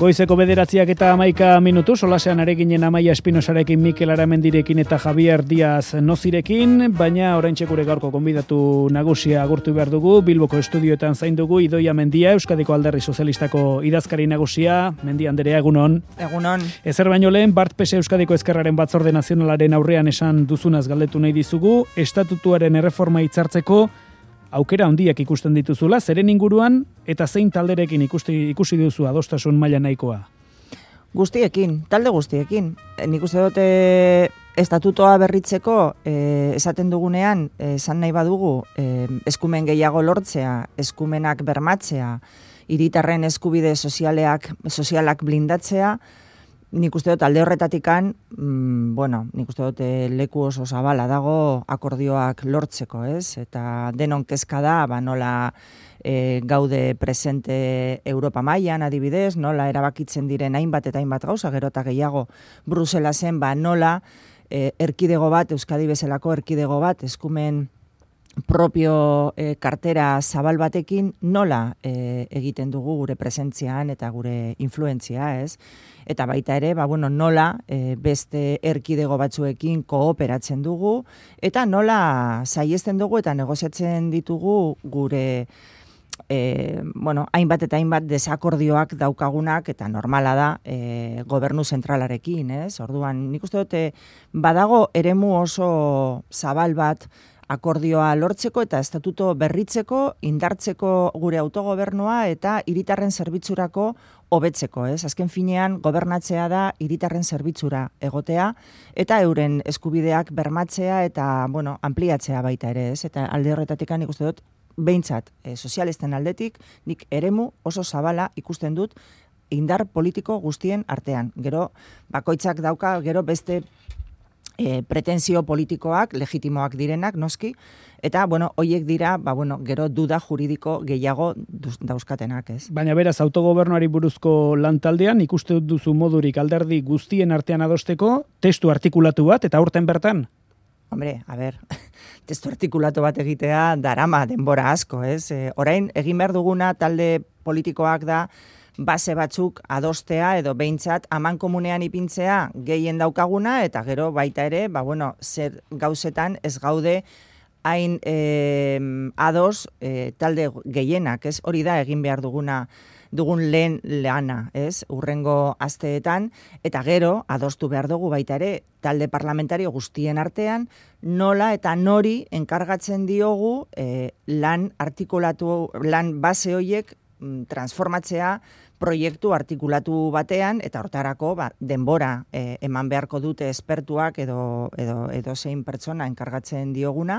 Goizeko 9:11 solasean areginen Amaia Espinosarekin, Mikel Aramendirekin eta Javier Díaz Nozirekin, baina oraintxe gure gaurko gonbidatu nagusia agurtu behar dugu. Bilboko estudioetan zain dugu Idoia Mendia, Euskadiko Alderdi Sozialistako idazkari nagusia. Mendia Anderea, egunon. Egunon. Ezer baino lehen, Bart Pese Euskadiko Ezkerraren Batzorde Nazionalaren aurrean esan duzunaz galdetu nahi dizugu, estatutuaren erreforma hitzartzeko aukera handiak ikusten dituzula, zeren inguruan eta zein talderekin ikusi duzu adostasun maila nahikoa? Guztiekin, talde guztiekin. Nik uste dute estatutoa berritzeko esaten dugunean, esan nahi badugu, eskumen gehiago lortzea, eskumenak bermatzea, hiritarren eskubide sozialak blindatzea, nik uste dut alde horretatikan, nik uste dut leku oso zabala dago akordioak lortzeko, ez? Eta denon kezka da, nola gaude presente Europa mailan adibidez, nola erabakitzen diren hainbat eta hainbat gauza, gero eta gehiago Bruselasen, nola erkidego bat, Euskadi bezalako erkidego bat, eskumen propio kartera zabal batekin nola egiten dugu gure presentzian eta gure influentzia, ez? Eta baita ere, nola beste erkidego batzuekin kooperatzen dugu eta nola saihesten dugu eta negoziatzen ditugu gure hainbat eta hainbat desakordioak daukagunak eta normala da gobernu zentralarekin, ez? Orduan, nik uste dute badago eremu oso zabal bat akordioa lortzeko eta estatuto berritzeko, indartzeko gure autogobernua eta hiritarren zerbitzurako hobetzeko, ez? Azken finean gobernatzea da hiritarren zerbitzura egotea eta euren eskubideak bermatzea eta, ampliatzea baita ere, ez? Eta alde horretatik nik uste dut, behintzat, sozialisten aldetik, nik eremu oso zabala ikusten dut indar politiko guztien artean. Gero, bakoitzak dauka, gero beste pretensio politikoak, legitimoak direnak, noski, eta, hoiek dira, gero duda juridiko gehiago dauzkatenak, ez? Baina beraz, autogobernuari buruzko lantaldean, ikuste duzu modurik alderdi guztien artean adosteko, testu artikulatu bat, eta aurten bertan? Hombre, testu artikulatu bat egitea darama denbora asko, ez? Orain, egin behar duguna talde politikoak da, base batzuk adostea edo behintzat amankomunean ipintzea gehien daukaguna eta gero baita ere, zer gauzetan ez gaude hain ados talde gehienak, ez? Hori da egin behar dugun lehen lana, ez? Urrengo asteetan eta gero adostu behar dugu baita ere talde parlamentario guztien artean nola eta nori enkargatzen diogu lan base horiek transformatzea proiektu artikulatu batean eta hortarako denbora eman beharko dute espertuak edo zein pertsona enkargatzen dioguna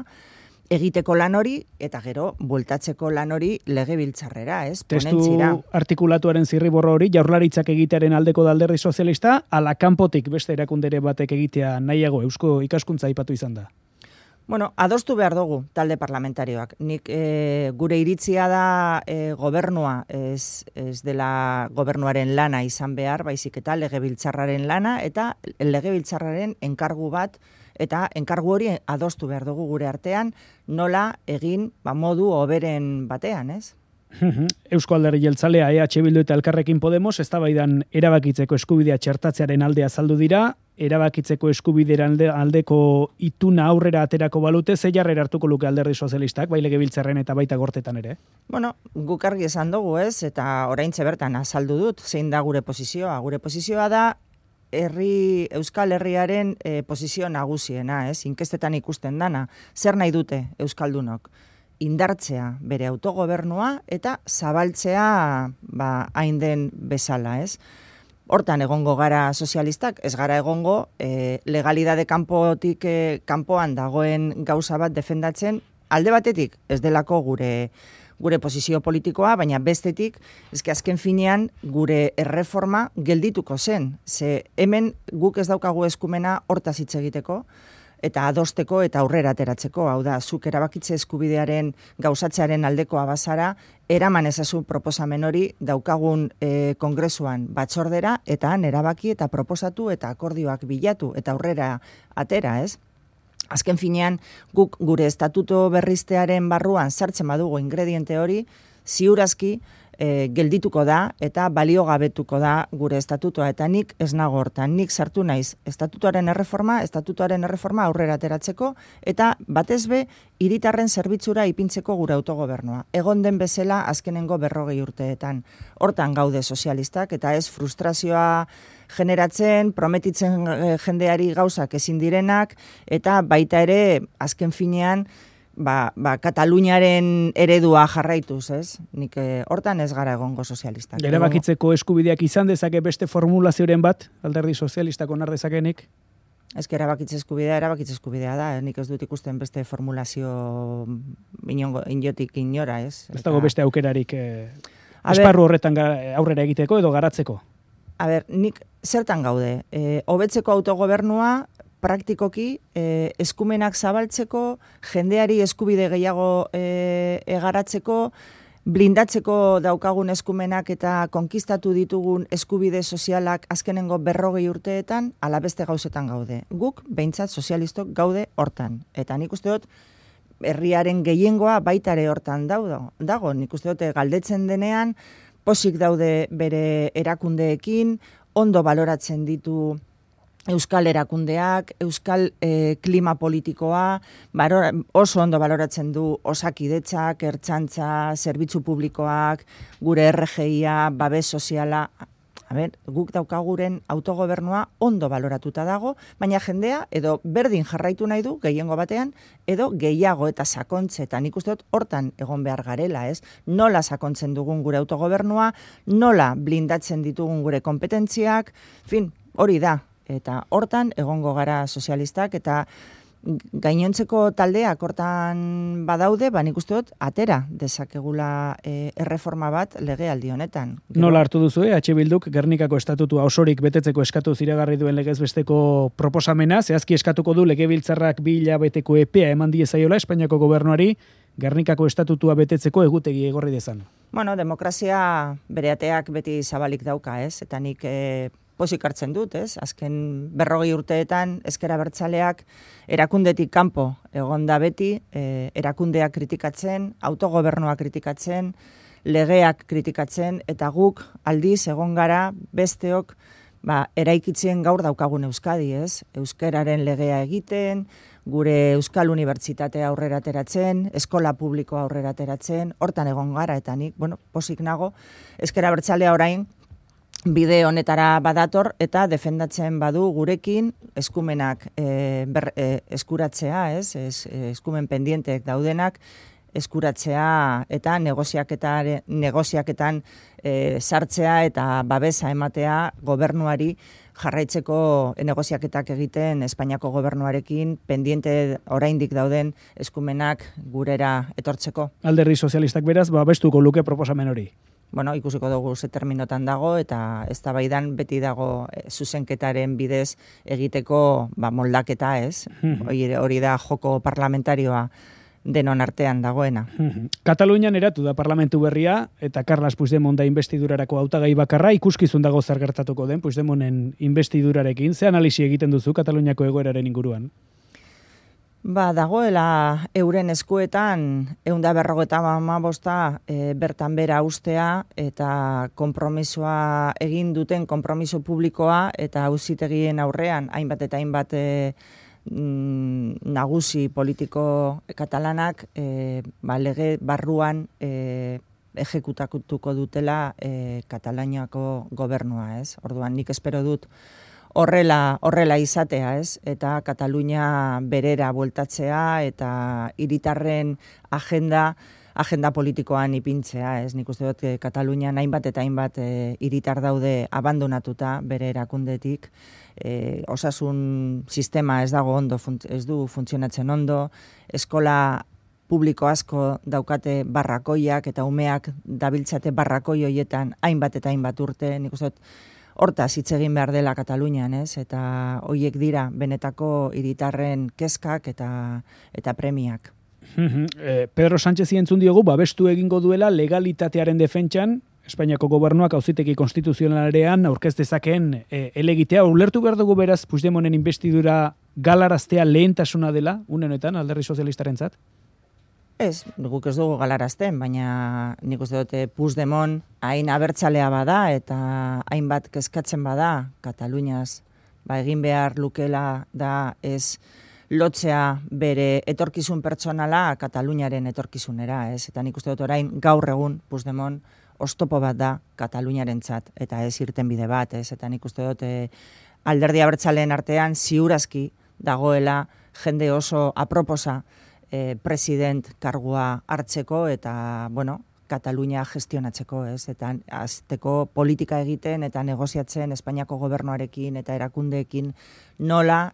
egiteko lan hori eta gero bueltatzeko lan hori legebiltzarrera, ez? Ponentzira. Testu artikulatuaren zirriborro hori Jaurlaritzak egitearen aldeko da Alderdi Sozialista ala kanpotik beste erakundere batek egitea nahiago Eusko Ikaskuntza aipatu izan da. Adostu behar dugu talde parlamentarioak. Nik gure iritzia da gobernua ez dela gobernuaren lana izan behar, baizik eta legebiltzarraren lana eta legebiltzarraren enkargu bat eta enkargu hori adostu behar dugu gure artean nola egin modu hoberen batean, ez? Eusko Alderdi Jeltzalea, EH Bildu eta Elkarrekin Podemos eztabaidan erabakitzeko eskubidea txertatzearen alde azaldu dira, erabakitzeko eskubidean aldeko ituna aurrera aterako balute, ze jarrera hartuko luke Alderdi Sozialistak, bai legebiltzarren eta baita gortetan ere? Guk argi esan dugu, ez? Eta oraintxe bertan azaldu dut, zein da gure posizioa. Gure posizioa da Euskal Herriaren posizio nagusiena, ez? Inkestetan ikusten dana. Zer nahi dute Euskaldunok? Indartzea bere autogobernua eta zabaltzea hain den bezala, ez? Hortan egongo gara sozialistak, ez gara egongo legalidade kanpoan dagoen gauza bat defendatzen, alde batetik ez delako gure posizio politikoa, baina bestetik, azken finean gure erreforma geldituko zen. Ze hemen guk ez daukagu eskumena hortaz hitz egiteko, eta adosteko eta aurrera ateratzeko, hau da, zuk erabakitze eskubidearen gauzatzearen aldekoa bazara, eraman ezazu proposamen hori daukagun kongresuan batzordera, eta han erabaki eta proposatu eta akordioak bilatu eta aurrera atera, ez? Azken finean, guk gure estatuto berriztearen barruan sartzen badugu ingrediente hori, ziurazki geldituko da eta baliogabetuko da gure estatutua, eta nik ez nago hortan, nik sartu naiz estatutuaren erreforma aurrera ateratzeko, eta batez be, hiritarren zerbitzura ipintzeko gure autogobernua. Egon den bezala azkenengo 40 urteetan. Hortan gaude sozialistak, eta ez frustrazioa generatzen, prometitzen jendeari gauzak ezin direnak, eta baita ere, azken finean, Kataluniaren eredua jarraituz, ez? Nik hortan ez gara egongo sozialistak. Erabakitzeko eskubideak izan dezake beste formulazioren bat, alderdi sozialistak onar dezakenik? Ez que erabakitze eskubidea da, nik ez dut ikusten beste formulazio injotik inora, ez? Ez dago beste aukerarik esparru horretan aurrera egiteko edo garatzeko? Nik zertan gaude? Hobetzeko autogobernua, praktikoki, eskumenak zabaltzeko, jendeari eskubide gehiago egaratzeko, blindatzeko daukagun eskumenak eta konkistatu ditugun eskubide sozialak azkenengo 40 urteetan, ala beste gauzetan gaude. Guk, behintzat sozialistok gaude hortan. Eta nik uste dut, herriaren gehiengoa baitare hortan dago. Nik uste dut, galdetzen denean, posik daude bere erakundeekin, ondo baloratzen ditu euskal erakundeak, euskal klima politikoa, oso ondo baloratzen du osakidetzak, ertzaintza, zerbitzu publikoak, gure RGIa, babes soziala. Guk daukaguren autogobernua ondo baloratuta dago, baina jendea edo berdin jarraitu nahi du, gehiengo batean, edo gehiago eta sakontze, eta nik uste dut hortan egon behar garela, ez? Nola sakontzen dugun gure autogobernua, nola blindatzen ditugun gure kompetentziak, hori da. Eta hortan egongo gara sozialistak, eta gainontzeko taldeak hortan badaude, nik uste dut, atera dezakegula erreforma bat legealdi honetan. Nola hartu duzu, H. Bilduk Gernikako estatutua osorik betetzeko eskatu iragarri duen legezbesteko proposamena, zehazki eskatuko du Legebiltzarrak 2 hilabeteko epea eman diezaiola Espainiako gobernuari Gernikako estatutua betetzeko egutegi egorri dezan. Demokrazia bere ateak beti zabalik dauka, ez? Eta nik pozik hartzen dut, ez? Azken 40 urteetan ezker abertzaleak erakundetik kanpo egon da beti, erakundeak kritikatzen, autogobernua kritikatzen, legeak kritikatzen, eta guk aldiz egon gara besteok eraikitzen gaur daukagun Euskadi, ez? Euskararen legea egiten, gure Euskal Unibertsitatea aurrera ateratzen, eskola publikoa aurrera ateratzen, hortan egon gara, eta nik, pozik nago, ezker abertzalea orain, bide honetara badator eta defendatzen badu gurekin eskumenak eskuratzea, ez? Eskumen pendientek daudenak eskuratzea eta negoziaketan sartzea eta babesa ematea gobernuari jarraitzeko negoziaketak egiten Espainiako gobernuarekin pendiente oraindik dauden eskumenak gurera etortzeko. Alderdi sozialistak beraz, babestuko luke proposamen hori. Ikusiko dugu ze terminotan dago, eta eztabaidan beti dago zuzenketaren bidez egiteko moldaketa, ez? Hori da joko parlamentarioa denon artean dagoena. Katalunian eratu da parlamentu berria, eta Carles Puigdemont da investidurarako hautagai bakarra, ikuskizun dago zer gertatuko den Puigdemonten investidurarekin. Ze analisi egiten duzu Kataluniako egoeraren inguruan? Dagoela euren eskuetan 155 bertan bera ustea eta konpromisoa egin duten konpromiso publikoa eta auzitegien aurrean hainbat eta hainbat nagusi politiko katalanak lege barruan ejekutatuko dutela Kataluniako gobernua, ez? Orduan nik espero dut horrela izatea, ez? Eta Katalunia berera bueltatzea eta hiritarren agenda politikoan ipintzea, ez? Nik uste dut Katalunian hainbat eta hainbat hiritar daude abandonatuta bere erakundetik, osasun sistema ez dago ondo, ez du funtzionatzen ondo, eskola publiko asko daukate barrakoiak eta umeak dabiltzate barrakoi hoietan hainbat eta hainbat urte, nik uste dut hortaz hitz egin behar dela Katalunian, ez? Eta hoiek dira benetako hiritarren kezkak eta premiak. Pedro Sánchez entzun diogu babestu egingo duela legalitatearen defentsan, Espainiako gobernuak auzitegi konstituzionalean aurkez dezakeen helegitea. Ulertu behar dugu beraz Puigdemonten investidura galaraztea lehentasuna dela, une honetan, alderdi sozialistarentzat? Ez, guk ez dugu galarazten, baina nik uste dute Puigdemont hain abertzalea bada eta hainbat kezkatzen bada Kataluniaz, egin behar lukela da ez lotzea bere etorkizun pertsonala Kataluniaren etorkizunera, ez? Eta nik uste dut orain gaur egun Puigdemont oztopo bat da Kataluniarentzat eta ez irtenbide bat, ez? Eta nik uste dut alderdi abertzaleen artean ziurazki dagoela jende oso aproposa president kargua hartzeko eta, Katalunia gestionatzeko, ez? Eta azteko politika egiten eta negoziatzen Espainiako gobernuarekin eta erakundeekin nola,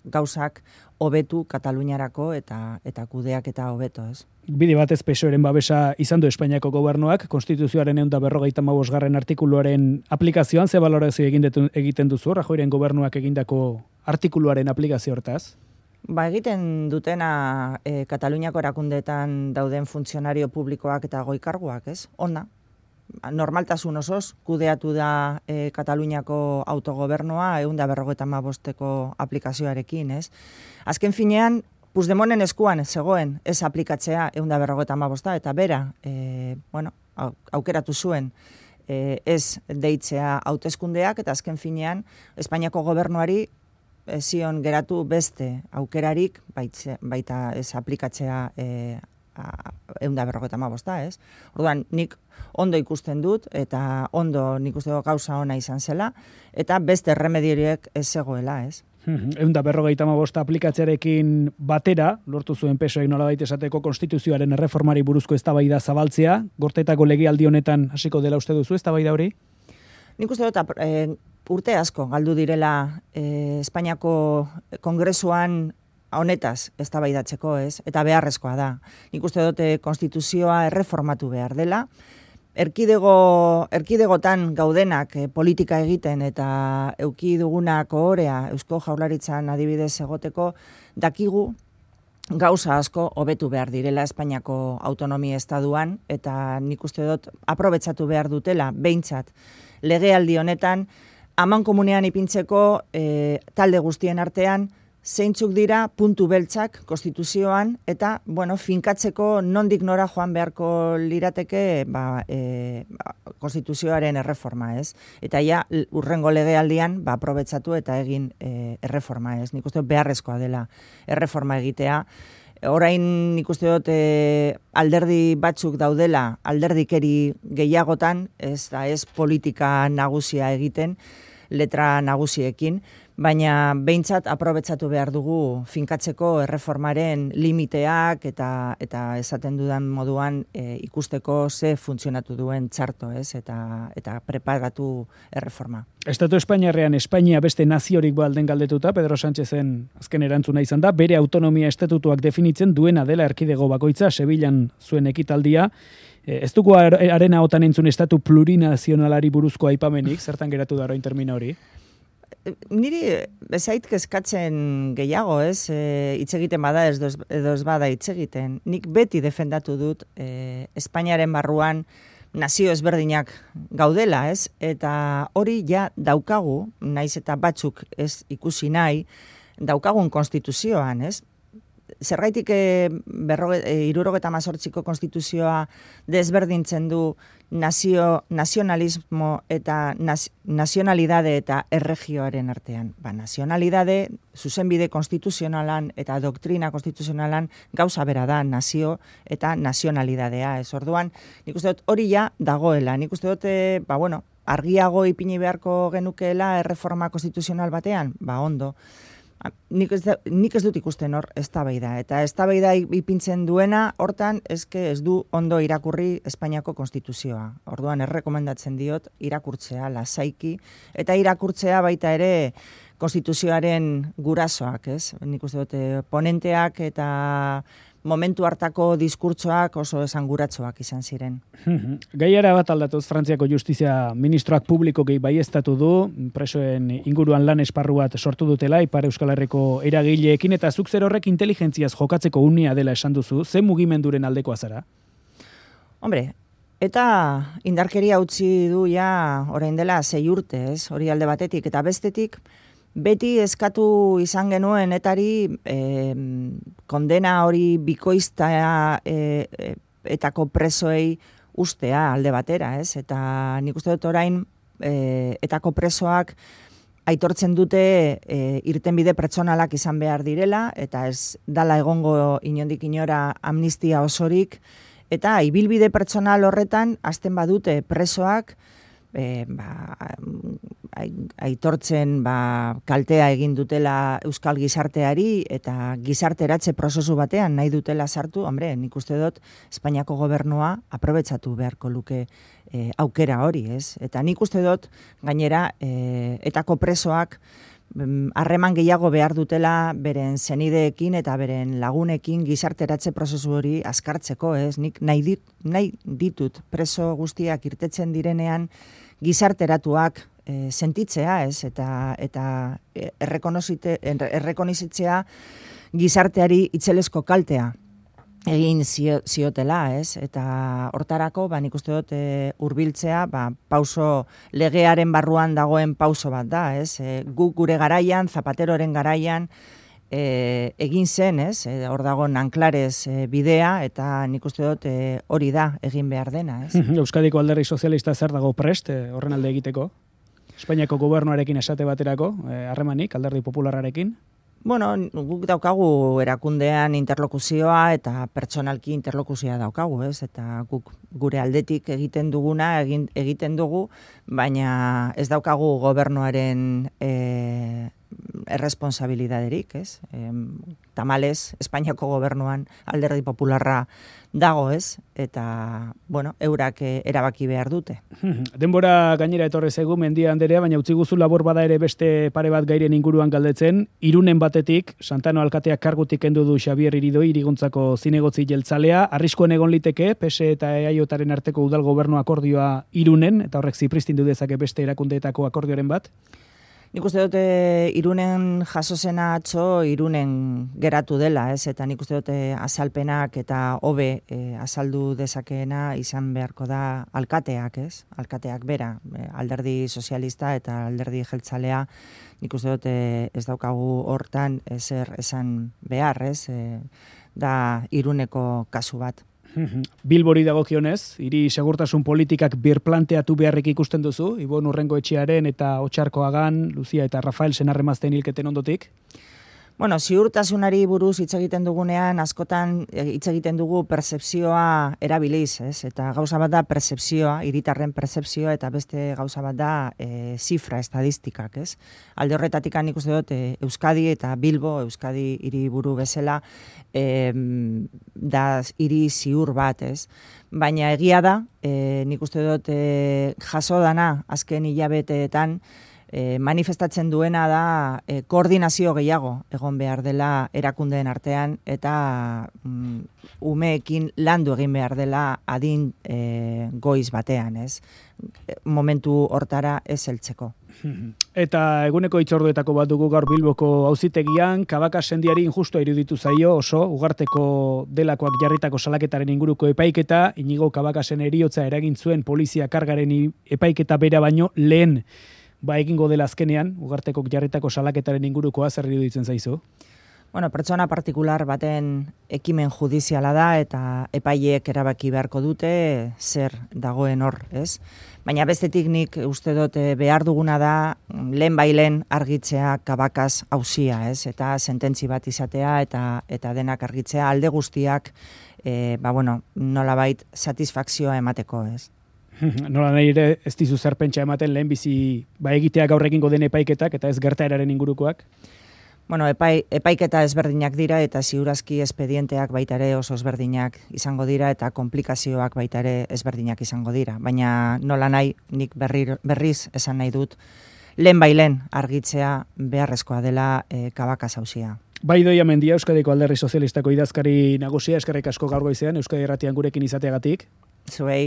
gauzak hobetu Kataluniarako eta kudeak eta hobeto, ez? Bide batez PSOEren babesa izan du Espainiako gobernuak, Konstituzioaren 155. Artikuluaren aplikazioan, ze balorazio egiten duzu, Rajoyren gobernuak egindako artikuluaren aplikazio hortaz? Egiten dutena Kataluniako erakundeetan dauden funtzionario publikoak eta goi-karguak, ez? Ona. Normaltasun osoz, kudeatu da Kataluniako autogobernua 155. Aplikazioarekin, ez? Azken finean, Puigdemonten eskuan zegoen ez aplikatzea 155 eta bera, aukeratu zuen ez deitzea hauteskundeak eta azken finean Espainiako gobernuari zion geratu beste aukerarik baita ez aplikatzea 155, ez? Orduan, nik ondo ikusten dut eta ondo nik uste gauza ona izan zela eta beste erremedioriek ez zegoela, ez? 155 aplikatzearekin batera, lortu zuen PSOEk nolabait esateko konstituzioaren erreformari buruzko eztabaida zabaltzea, Gortetako legealdi honetan hasiko dela uste duzu eztabaida hori? Nik uste dut urte asko galdu direla Espainiako Kongresuan honetaz eztabaidatzeko, ez? Eta beharrezkoa da. Nik uste dut konstituzioa erreformatu behar dela. Erkidegotan gaudenak politika egiten eta euki dugunak ohorea Eusko Jaurlaritzan adibidez egoteko dakigu gauza asko hobetu behar direla Espainiako autonomia estaduan eta nik uste dut aprobetxatu behar dutela behintzat legealdi honetan amankomunean ipintzeko talde guztien artean zeintzuk dira puntu beltzak konstituzioan eta, finkatzeko nondik nora joan beharko lirateke konstituzioaren erreforma, ez? Eta ja, urrengo legealdian, aprobetxatu eta egin erreforma, ez? Nik uste beharrezkoa dela erreforma egitea. Orain nik uste dut alderdi batzuk daudela, alderdikeri gehiagotan, ez politika nagusia egiten, letra nagusiekin, baina behintzat aprobetxatu behar dugu finkatzeko erreformaren limiteak eta esaten dudan moduan ikusteko ze funtzionatu duen txarto, ez? Eta preparatu erreforma. Estatu Espainiarrean Espainia beste naziorik balden galdetuta, Pedro Sánchezen azken erantzuna izan da, bere autonomia estatutuak definitzen duena dela erkidego bakoitza, Sevillan zuen ekitaldia. Ez dugu arena otan entzun estatu plurinazionalari buruzko aipamenik, zertan geratu da orain termino hori? Niri bezait kezkatzen gehiago, ez? Hitz egiten bada edo ez bada hitz egiten. Nik beti defendatu dut Espainiaren barruan nazio ezberdinak gaudela, ez? Eta hori ja daukagu, naiz eta batzuk ez ikusi nahi, daukagun konstituzioan, ez? Zergaitik 78ko konstituzioa desberdintzen du nazionalismo eta nazionalidade eta erregioaren artean. Nazionalidade, zuzenbide konstituzionalan eta doktrina konstituzionalan gauza bera da nazio eta nazionalidadea. Ez orduan, nik uste dut hori ja dagoela. Nik uste dut, argiago ipini beharko genukeela erreforma konstituzional batean? Ondo. Nik ez dut ikusten hor eztabaida eta eztabaida ipintzen duena hortan ez du ondo irakurri Espainiako konstituzioa. Orduan errekomendatzen diot irakurtzea lasaiki eta irakurtzea baita ere konstituzioaren gurasoak, ez? Nik uste dut ponenteak eta momentu hartako diskurtsoak oso esanguratsuak izan ziren. Gaiara bat aldatuz, Frantziako Justizia Ministroak publikoki baieztatu du, presoen inguruan lan esparru bat sortu dutela, Ipar Euskal Herriko eragileekin, eta zuk zer horrek inteligentziaz jokatzeko unia dela esan duzu, ze mugimenduren aldekoa zara? Hombre, eta indarkeria utzi du ja orain dela 6 urte, ez? Hori alde batetik, eta bestetik, Beti eskatu izan genuen etari kondena hori bikoizta etako presoei ustea alde batera, ez? Eta nik uste dut orain etako presoak aitortzen dute irtenbide pertsonalak izan behar direla, eta ez dala egongo inondik inora amnistia osorik, eta ibilbide pertsonal horretan hasten badute presoak aitortzen kaltea egin dutela euskal gizarteari eta gizarteratze prozesu batean nahi dutela sartu, hombre, nik uste dut Espainiako gobernua aprobetxatu beharko luke aukera hori, ez? Eta nik uste dut gainera etako presoak harreman gehiago behar dutela beren senideekin eta beren lagunekin gizarteratze prozesu hori azkartzeko, ez? Nik nahi ditut preso guztiak irtetzen direnean gizarteratuak sentitzea, ez? Eta errekonizitzea gizarteari itzelesko kaltea egin ziotela, ez? Eta hortarako, nik uste dut hurbiltzea, pauso legearen barruan dagoen pauso bat da, ez? Guk gure garaian, Zapateroren garaian, egin zen, ez? Hor dago Nanclares bidea, eta nik uste dut hori da egin behar dena, ez? Euskadiko Alderdi Sozialista zer dago prest horren alde egiteko? Espainiako gobernuarekin esate baterako, harremanik, Alderdi Popularrarekin? Bueno, guk daukagu erakundean interlokuzioa eta pertsonalki interlokuzioa daukagu, ez? Eta guk gure aldetik egiten duguna egiten dugu, baina ez daukagu gobernuaren erresponsabilidaderik, ez? Tamalez, Espainiako gobernuan Alderdi Popularra dago, ez? Eta, bueno, eurak erabaki behar dute. Denbora gainera etorre zaigu, Mendia Anderea, baina utzi guzu labor bada ere beste pare bat gairen inguruan galdetzen. Irunen batetik, Santano alkateak kargutik kendu du Xabier Iridoi, Iriguntzako zinegotzi jeltzalea. Arriskuen egon liteke, PSE eta EAJaren arteko udal gobernu akordioa Irunen, eta horrek zipristindu dezake beste erakundeetako akordioaren bat? Nik uste dut Irunen jaso zena atzo Irunen geratu dela, ez? Eta nik uste dut azalpenak eta hobe azaldu dezakeena izan beharko da alkateak, ez? Alkateak bera, Alderdi Sozialista eta Alderdi Jeltzalea, nik uste dut ez daukagu hortan ezer esan behar, ez? Da Iruneko kasu bat. Bilbori dagokionez, hiri segurtasun politikak birplanteatu beharrik ikusten duzu, Ibon Urrengoetxearen eta Otxarkoagan, Lucia eta Rafael Senarremazten hilketen ondotik? Bueno, ziurtasunari buruz hitz egiten dugunean, askotan hitz egiten dugu pertzepzioa erabiliz, ez? Eta gauza bat da pertzepzioa, hiritarren pertzepzioa, eta beste gauza bat da zifra, estadistikak, ez? Alde horretatik nik uste dut Euskadi eta Bilbo, Euskadi hiriburu bezala, da hiri ziur bat, ez? Baina egia da, nik uste dut jaso dana azken hilabeteetan, manifestatzen duena da koordinazio gehiago egon behar dela erakundeen artean eta umeekin landu egin behar dela adin goiz batean, ez? Momentu hortara ez heltzeko. Eta eguneko hitzorduetako bat dugu gaur Bilboko auzitegian, Kabaka sendiari injustua iruditu zaio oso, ugarteko delakoak jarritako salaketaren inguruko epaiketa, Inigo Kabakasen heriotza eragin zuen polizia kargaren epaiketa bera baino lehen egingo dela azkenean, ugartekok jarritako salaketaren ingurukoa zer iruditzen zaizu? Bueno, pertsona partikular baten ekimen judiziala da eta epaileek erabaki beharko dute zer dagoen hor, ez? Baina bestetik nik uste dut behar duguna da lehen argitzea Kabakaz auzia, ez? Eta sententzi bat izatea eta denak argitzea alde guztiak nolabait satisfakzioa emateko, ez? Nola nahi ere ez dizu zer pentsa ematen lehen bizi egitea gaur egingo den epaiketak eta ez gertaeraren ingurukoak? Bueno, epaiketa ezberdinak dira eta ziurazki espedienteak baita ere oso ezberdinak izango dira eta komplikazioak baita ere ezberdinak izango dira. Baina nola nahi nik berriz esan nahi dut lehen argitzea beharrezkoa dela Kabakaz auzia. Bai Idoia Mendia, Euskadiko Alderdi Sozialistako idazkari nagusia, eskerrik asko gaur goizean, Euskadi Irratian gurekin izateagatik. Zuei.